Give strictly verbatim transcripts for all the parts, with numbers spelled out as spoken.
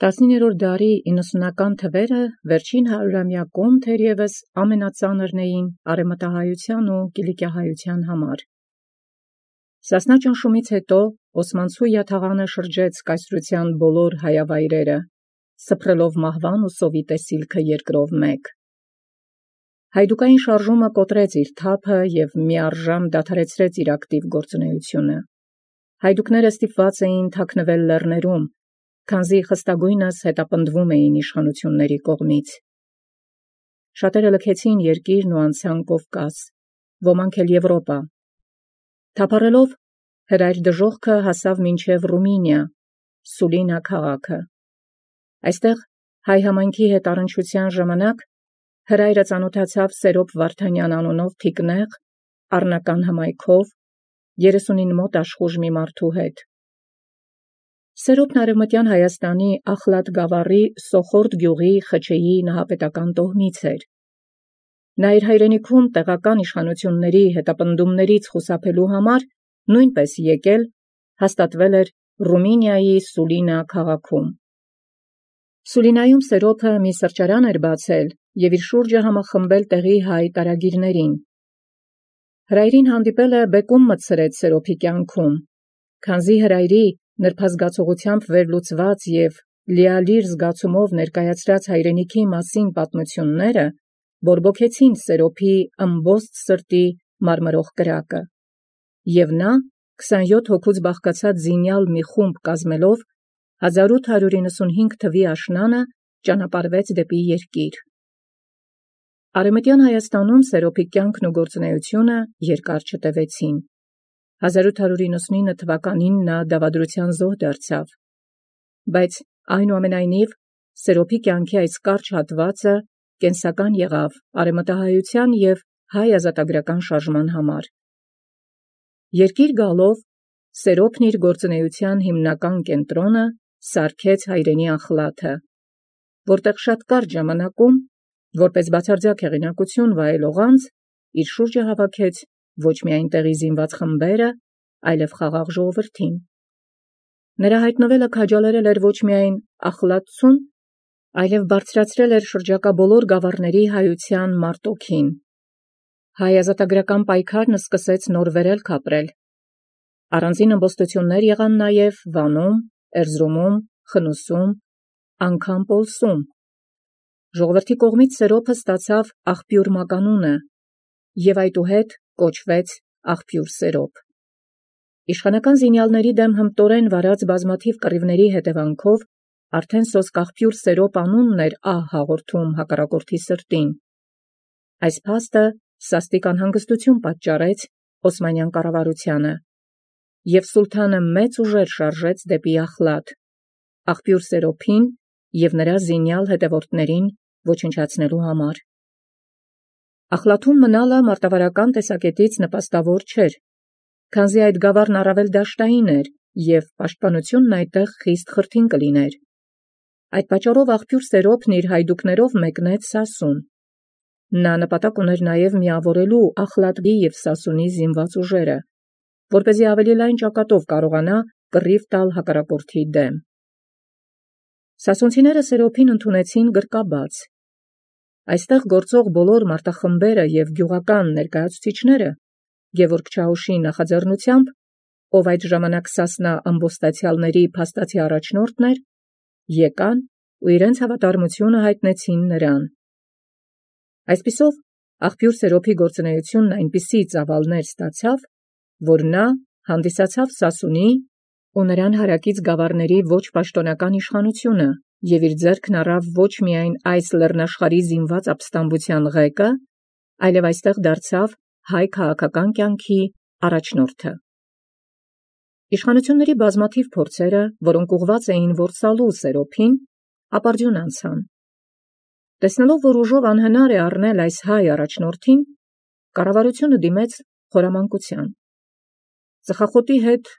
Տասնիններորդ դարի իննսունական թվերը վերջին հարյուրամյակում թերևս ամենածանրն էին արևմտահայության ու կիլիկիահայության համար։ Սասնա ճնշումից հետո Օսմանցու յաթաղանը շրջեց կայսրութեան բոլոր հայավայրերը, սփռելով մահվան ու սովի տեսիլքը երկրով մեկ։ Հայդուկային շարժումը կոտրեց իր թափը և միառժամ դադարեցրեց իր ակտիվ գործունեությունը։ Հայդուկները ստիպված էին թաքնվել լեռներում, քանզի խստագույնս հետապնդվում էին իշխանությունների կողմից։ Շատերը լքեցին երկիրն ու անցան Կովկաս, ոմանք էլ Եվրոպա։ Թափառելով հրայր դժոխքը հասավ մինչև Ռումինիա, Սուլինա քաղաքը։ Այստեղ հայ համայնքի հետ առնչության ժամանակ հրայրը ծանոթացավ Սերոպ Վարդանյան անունով թիկնեղ, առնական հմայքով, երեսունին մոտ աշխուժ մի մարդու հետ։ Սերոպն արևմտյան Հայաստանի Ախլատ գավառի Սոխորդ գյուղի Խչեի նահապետական տոհմից էր։ Նա իր հայրենիքում տեղական իշխանությունների հետապնդումներից խուսափելու համար նույնպես եկել, հաստատվել էր Ռումինիայի Սուլինա քաղաքում։ Սուլինայում Սերոպը մի սրճարան էր բացել և իր շուրջը համախմբել տեղի հայ տարագիրներին։ Հրայրին հանդիպելը բեկում մտցրեց Սերոպի կյանքում, քանզի հրայրի նրբազգացողությամբ վերլուծված և լիալիր զգացումով ներկայացրած հայրենիքի մասին պատմությունները բորբոքեցին Սերոպի ըմբոստ սրտի մարմրող կրակը, և նա քսանյոթ հոգուց բաղկացած զինյալ մի խումբ կազմելով հազար ութ հարյուր իննսունհինգ թվի աշնանը ճանապարհվեց դեպի երկիր։ Արևմտյան Հայաստանում Սերոպի կյանքն ու գործունեությունը երկար չտևեցին։ հազար ութ հարյուր իննսունինը թվականին նա դավադրության զոհ դարձավ, բայց այնուամենայնիվ Սերոպի կյանքի այս կարճ հատվածը կենսական եղավ արևմտահայության և հայ ազատագրական շարժման համար։ Երկիր գալով Սերոպն իր գործունեության հիմնական կենտրոնը սարքեց հայրենի Ախլաթը, որտեղ շատ կարճ ժամանակում, որպես բացարձակ հեղինակություն վայելող անձ, իր շուրջը հավաքեց ոչ միայն տեղի զինված խմբերը, այլև խաղաղ ժողովրդին։ Նրա հայտնվելը քաջալերել էր ոչ միայն Ախլաթցուն, այլև բարձրացրել էր շրջակա բոլոր գավառների հայության մարտոքին։ Հայ ազատագրական պայքարն սկսեց նոր վերելք ապրել։ Առանձին ըմբոստություններ եղան նաև Վանում, Էրզրումում, Խնուսում, անգամ Պոլսում։ Ժողովրդի կողմից Սերոպը ստացավ աղբյուր մականունը և այդուհետ կոչվեց աղբյուր Սերոպ։ Իշխանական զինյալների դեմ հմտորեն վարած բազմաթիվ կռիվների հետևանքով արդեն սոսկ աղբյուր Սերոպ անունն էր ահ հաղորդում հակառակորդի սրտին։ Այս փաստը սաստիկ անհանգստություն պատճառեց Օսմանյան կառավարությանը, և սուլթանը մեծ ուժեր շարժեց դեպի Ախլաթ, աղբյուր Սերոպին և նրա զինյալ հետևորդներին ոչնչացնելու համար։ Ախլաթում մնալը մարտավարական տեսակետից նպաստավոր չէր, քանզի այդ գավառն առավել դաշտային էր և պաշտպանությունն այդտեղ խիստ խրթին կլիներ։ Այդ պատճառով աղբյուր Սերոպն իր հայդուկներով մեկնեց Սասուն։ Նա նպատակ ուներ նաև միավորելու Ախլատի և Սասունի զինված ուժերը, որպեսզի ավելի լայն ճակատով կարողանա կռիվ տալ հակառակորդի դեմ։ Սասունցիները Սերոպին ընդունեցին գրկաբաց։ Այստեղ գործող բոլոր մարտախմբերը և գյուղական ներկայացուցիչները Գևորգ Չաուշի նախաձեռնությամբ, ով այդ ժամանակ Սասնա ըմբոստացյալների փաստացի առաջնորդն էր, եկան ու իրենց հավատարմությունը հայտնեցին նրան։ Այսպիսով աղբյուր Սերոպի գործունեությունն այնպիսի ծավալներ ստացավ, որ նա հանդիսացավ Սասունի ու նրան հարակից գավառների ոչ պաշտոնական իշխանությունը և իր ձեռքն առավ ոչ միայն այս լեռնաշխարհի զինված ապստամբության ղեկը, այլև այստեղ դարձավ հայ քաղաքական կյանքի առաջնորդը։ Իշխանությունների բազմաթիվ փորձերը, որոնք ուղղված էին որսալու Սերոպին, ապարդյուն անցան։ Տեսնելով, որ ուժով անհնար է առնել այս հայ առաջնորդին, կառավարությունը դիմեց խորամանկության։ Ծխախոտի հետ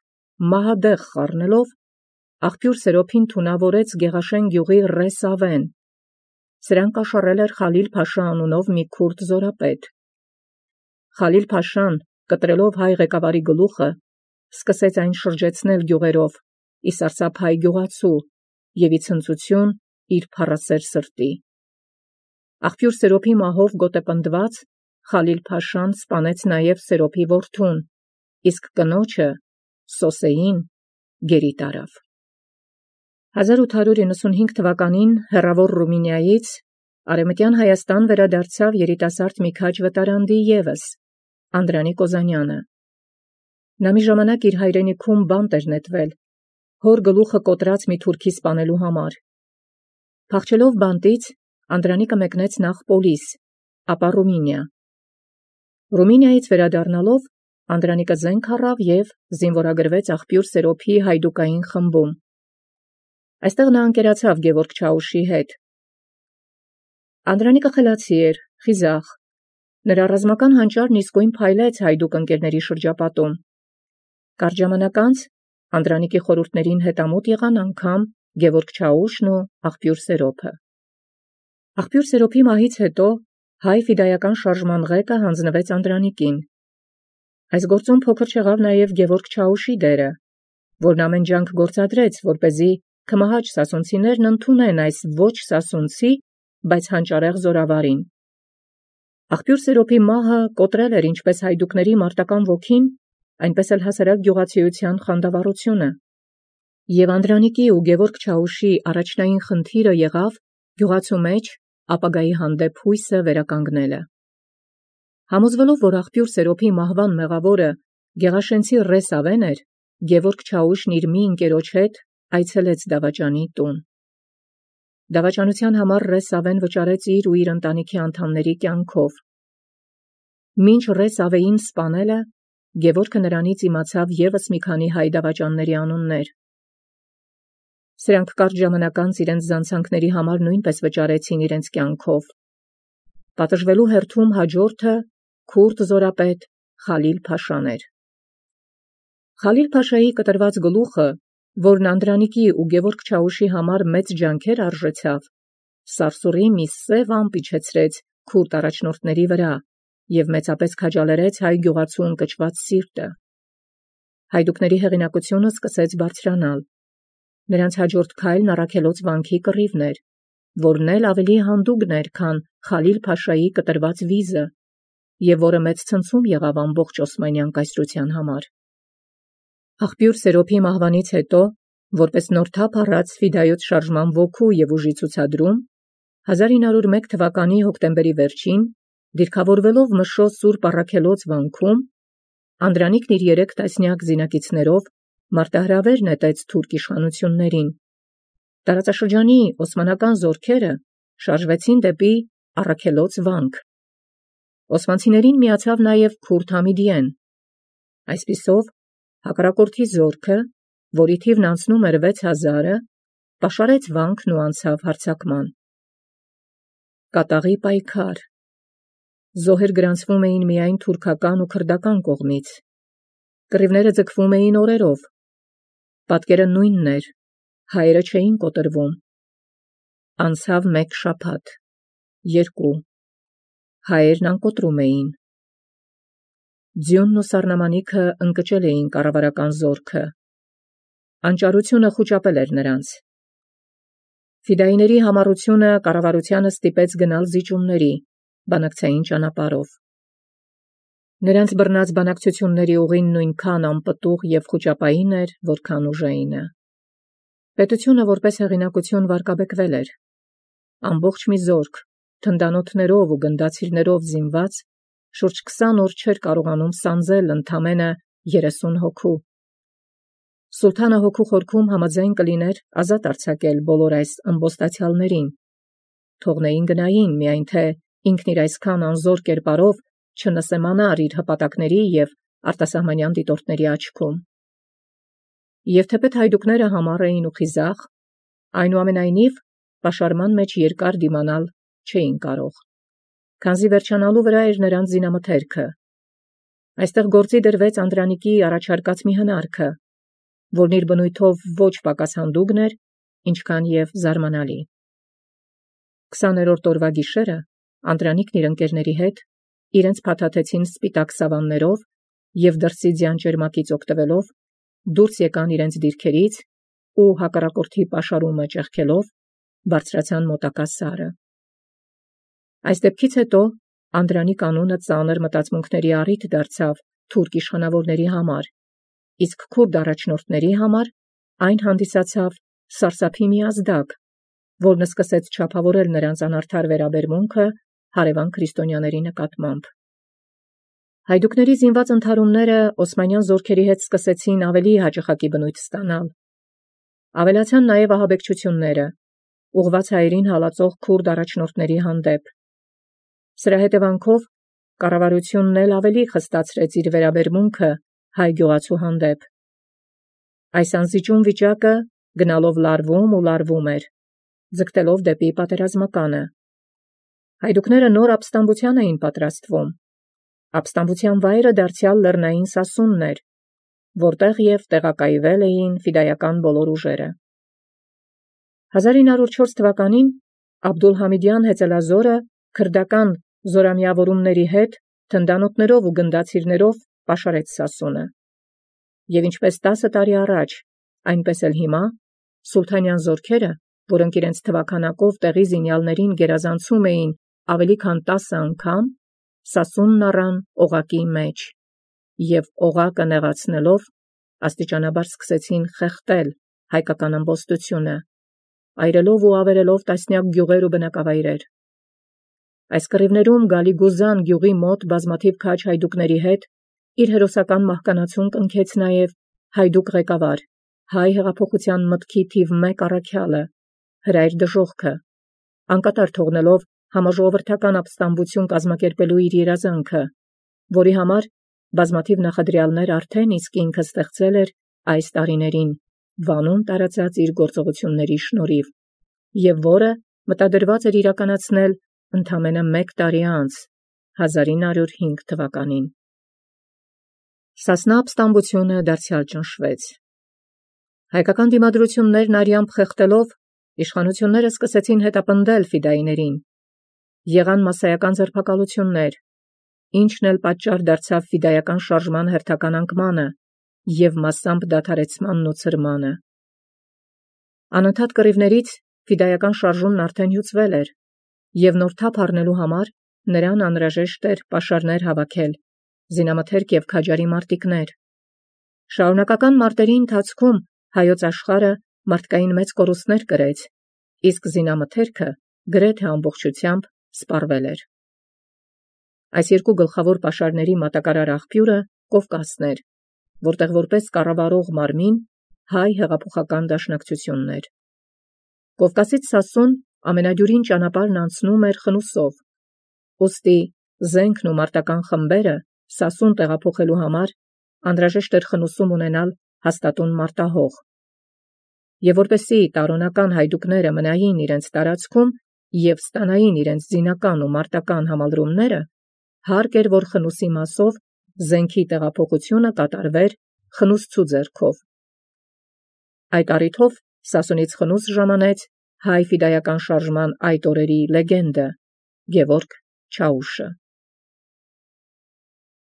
մահադեղ խառնելով, աղբյուր Սերոպին թունավորեց Գեղաշեն գյուղի Ռես ավեն։ Սրան կաշառել էր Խալիլ-փաշա անունով մի քուրդ զորապետ։ Խալիլ-փաշան, կտրելով հայ ղեկավարի գլուխը, սկսեց այն շրջեցնել գյուղերով, ի սարսափ հայ գյուղացու, և ի ցնծություն իր փառասեր սրտի։ Աղբյուր Սերոփի մահով գոտեպնդված Խալիլ-փաշան սպանեց նաև Սերոփի որդուն, իսկ կնոջը Սոսեին գերի տարավ։ հազար ութ հարյուր իննսունհինգ թվականին հեռավոր Ռումինիայից Արևմտյան Հայաստան վերադարձավ երիտասարդ մի քաջ վտարանդի ևս, Անդրանիկ Օզանյանը։ Նա մի ժամանակ իր հայրենիքում բանտ էր նետվել, հոր գլուխը կոտրած մի թուրքի սպանելու համար։ Փախչելով բանտից, Անդրանիկը մեկնեց նախ Պոլիս, ապա Ռումինիա։ Ռումինիայից վերադառնալով, Անդրանիկը զենք առավ և զինվորագրվեց աղբյուր Սերոփի հայդուկային խմբում։ Այստեղ նա ընկերացավ Գևորգ Չաուշի հետ։ Անդրանիկը խելացի էր, խիզախ։ Նրա ռազմական հանճարն իսկույն փայլեց հայդուկ ընկերների շրջապատում։ Կարճ ժամանակ անց Անդրանիկի խորհուրդներին հետամուտ եղան անգամ Գևորգ Չաուշն ու աղբյուր Սերոփը։ Աղբյուր Սերոփի մահից հետո հայ ֆիդայական շարժման ղեկը հանձնվեց Անդրանիկին։ Այս գործում փոքր չեղավ նաև Գևորգ Չաուշի դերը, որն ամեն ջանք գործադրեց, որպեսզի քմահաճ սասունցիներն ընդունեն այս ոչ սասունցի, բայց հանճարեղ զորավարին։ Աղբյուր Սերոփի մահը կոտրել էր ինչպես հայդուկների մարտական ոգին, այնպես էլ հասարակ գյուղացիության խանդավառությունը։ Եվ Անդրանիկի ու Գևորգ Չաուշի առաջնային խնդիրը եղավ գյուղացու մեջ ապագայի հանդեպ հույսը վերականգնելը։ Համոզվելով, որ աղբյուր Սերոփի մահվան մեղավորը Գեղաշենցի Ռես Ավեն էր, Գևորգ Չաուշն իր մի ընկերոջ հետ այցելեց դավաճանի տուն։ Դավաճանության համար Ռես Ավեն վճարեց իր ու իր ընտանիքի անդամների կյանքով։ Մինչ Ռես Ավեին սպանելը, Գևորգը նրանից իմացավ ևս մի քանի հայ դավաճանների անուններ։ Սրանք կարճ ժամանակ անց իրենց զանցանքների համար նույնպես վճարեցին իրենց կյանքով։ Պատժվելու հերթում հաջորդը քուրդ զորապետ Խալիլ-փաշան էր։ Խալիլ-փաշայի կտրված գլուխը, որն Անդրանիկի ու Գևորգ Չաուշի համար մեծ ջանքեր արժեցավ, սարսուռի մի սև ամպ իջեցրեց քուրդ առաջնորդների վրա և մեծապես քաջալերեց հայ գյուղացու ընկճված սիրտը։ Հայդուկների հեղինակությունը սկսեց բարձրանալ։ Նրանց հաջորդ քայլն Առաքելոց վանքի կռիվն էր, որն էլ ավելի հանդուգն էր, քան Խալիլ-փաշայի կտրված վիզը, և որը մեծ ցնցում եղավ ամբողջ օսմանյան կայսրության համար։ Աղբյուր Սերոփի մահվանից հետո, որպես նոր թափ առած ֆիդայոց շարժման ոգու և ուժի ցուցադրում, հազար ինը հարյուր մեկ թվականի հոկտեմբերի վերջին, դիրքավորվելով Մշո Սուրբ Առաքելոց վանքում, Անդրանիկն իր երեք տասնյակ զինակիցներով մարտահրավեր նետեց թուրք իշխանություններին։ Տարածաշրջանի օսմանական զորքերը շարժվեցին դեպի Առաքելոց վանք։ Օսմանցիներին միացավ նաև քուրդ Համիդիեն։ Այսպիսով, հակառակորդի զորքը, որի թիվն անցնում էր վեց հազարը, պաշարեց վանքն ու անցավ հարձակման։ Կատաղի պայքար։ Զոհեր գրանցվում էին միայն թուրքական ու քրդական կողմից։ Կռիվները ձգվում էին օրերով։ Պատկերը նույնն էր, հայերը չէին կոտրվում։ Անցավ մեկ շաբաթ, երկու, հայերն անկոտրում էին։ Ձյունն ու սառնամանիքը ընկճել էին կառավարական զորքը։ Անճարությունը խուճապել էր նրանց։ Ֆիդայիների համառությունը կառավարությանը ստիպեց գնալ զիջումների, բանակցային ճանապարհով։ Նրանց բռնած բանակցությունների ուղին նույնքան անպտուղ և խուճապային էր, որքան ուժայինը։ Պետությունը որպես հեղինակություն վարկաբեկվել էր։ Ամբողջ մի զորք, թնդանոթներով ու գնդացիրներով զինված, շուրջ քսան օր չէր կարողանում սանձել ընդամենը երեսուն հոգու։ Սուլթանը հոգու խորքում համաձայն կլիներ ազատ արձակել բոլոր այս ըմբոստացյալներին։ Թողնեին գնային, միայն թե ինքն իր այսքան անզոր կերպարով չնսեմանար իր հպատակների և արտասահմանյան դիտորդների աչքում։ Եվ թեպետ հայդուկները համառ էին ու խիզախ, այնուամենայնիվ պաշարման մեջ երկար դիմանալ չէին կարող, քանզի վերջանալու վրա էր նրանց զինամթերքը։ Այստեղ գործի դրվեց Անդրանիկի առաջարկած մի հնարքը, որն իր բնույթով ոչ պակաս հանդուգն էր, ինչքան և զարմանալի։ Քսաներորդ օրվա գիշերը Անդրանիկն իր ընկերների հետ իրենց փաթաթեցին սպիտակ սավաններով և դրսի ձյան ճերմակից օգտվելով դուրս եկան իրենց դիրքերից ու հակառակորդի պաշարումը ճեղքելով, բարձրացան մոտակա սարը։ Այս դեպքից հետո Անդրանիկ անունը ծանր մտածմունքների առիթ դարձավ թուրք իշխանավորների համար, իսկ քուրդ առաջնորդների համար այն հանդիսացավ սարսափի մի ազդակ, որն սկսեց չափավորել նրանց անարդար վերաբերմունքը հարևան քրիստոնյաների նկատմամբ։ Հայդուկների զինված ընդհարումները օսմանյան զորքերի հետ սկսեցին ավելի հաճախակի բնույթ ստանալ։ Ավելացան նաև ահաբեկչությունները, ուղղված հայերին հալածող քուրդ առաջնորդների հանդեպ։ Սրա հետևանքով կառավարությունն էլ ավելի խստացրեց իր վերաբերմունքը հայ գյուղացու հանդեպ։ Այս անզիջում վիճակը գնալով լարվում ու լարվում էր, ձգտելով դեպի պատերազմականը։ Հայդուկները նոր ապստամբության էին պատրաստվում։ Ապստամբության վայրը դարձյալ լեռնային Սասունն էր, որտեղ և տեղակայվել էին ֆիդայական բոլոր ուժերը։ հազար ինը հարյուր չորս թվականին Աբդուլհամիդյան հեծելազորը քրդական զորամիավորումների հետ թնդանոթներով ու գնդացիրներով պաշարեց Սասունը։ Եվ ինչպես տասը տարի առաջ, այնպես էլ հիմա սուլթանյան զորքերը, որոնք իրենց թվաքանակով տեղի զինյալներին գերազանցում էին ավելի քան տասը անգամ, Սասունն առան օղակի մեջ, և օղակը նեղացնելով աստիճանաբար սկսեցին խեղդել հայկական ամբոստությունը, այրելով ու ավերելով տասնյակ գյուղեր ու բնակավայրեր։ Այս կռիվներում Գալիգուզան գյուղի մոտ բազմաթիվ քաջ հայդուկների հետ իր հերոսական մահկանացուն կնքեց նաև հայդուկ ղեկավար, հայ հեղափոխության մտքի թիվ մեկ առաքյալը, Հրայր Դժոխքը, անկատար թողնելով համաժողովրդական ապստամբություն կազմակերպելու իր երազանքը, որի համար բազմաթիվ նախադրյալներ արդեն իսկ ինքը ստեղծել էր այս տարիներին Վանում տարածած իր գործողությունների շնորհիվ, և որը մտադրված էր իրականացնել ընդամենը մեկ տարի անց, հազար ինը հարյուր հինգ թվականին։ Սասնա ապստամբությունը դարձյալ ճնշվեց։ Հայկական դիմադրություններն արյամբ խեղդելով, իշխանությունները սկսեցին հետապնդել ֆիդայիներին։ Եղան մասսայական ձերբակալություններ, ինչն էլ պատճառ դարձավ ֆիդայական շարժման հերթական անկմանը և մասամբ դադարեցմանն ու ցրմանը։ Անընդհատ կռիվներից ֆիդայական շարժումն արդեն հյուծվել էր, և նոր թափ առնելու համար նրան անհրաժեշտ էր պաշարներ հավաքել, զինամթերք և քաջարի մարտիկներ։ Շարունակական մարտերի ընթացքում հայոց աշխարհը մարդկային մեծ կորուստներ կրեց, իսկ զինամթերքը գրեթե ամբողջությամբ սպառվել էր։ Այս երկու գլխավոր պաշարների մատակարար աղբյուրը Կովկասն էր, որտեղ որպես կառավարող մարմին հայ հեղափոխական դաշնակցությունն էր։ Կովկասից Սասուն ամենադյուրին ճանապարհն անցնում էր խնուսով, ուստի զենքն ու մարտական խմբերը Սասուն տեղափոխելու համար անհրաժեշտ էր խնուսում ունենալ հաստատուն մարտահող։ Եվ որպեսզի տարոնական հայդուկները մնային իրենց տարածքում և ստանային իրենց զինական ու մարտական համալրումները, հարկ էր, որ խնուսի մասով զենքի տեղափոխությունը կատարվեր խնուսցու ձեռքով։ Այդ առիթով Սասունից խնուս ժամանեց հայ ֆիդայական շարժման այդ օրերի լեգենդը Գևորգ Չաուշը։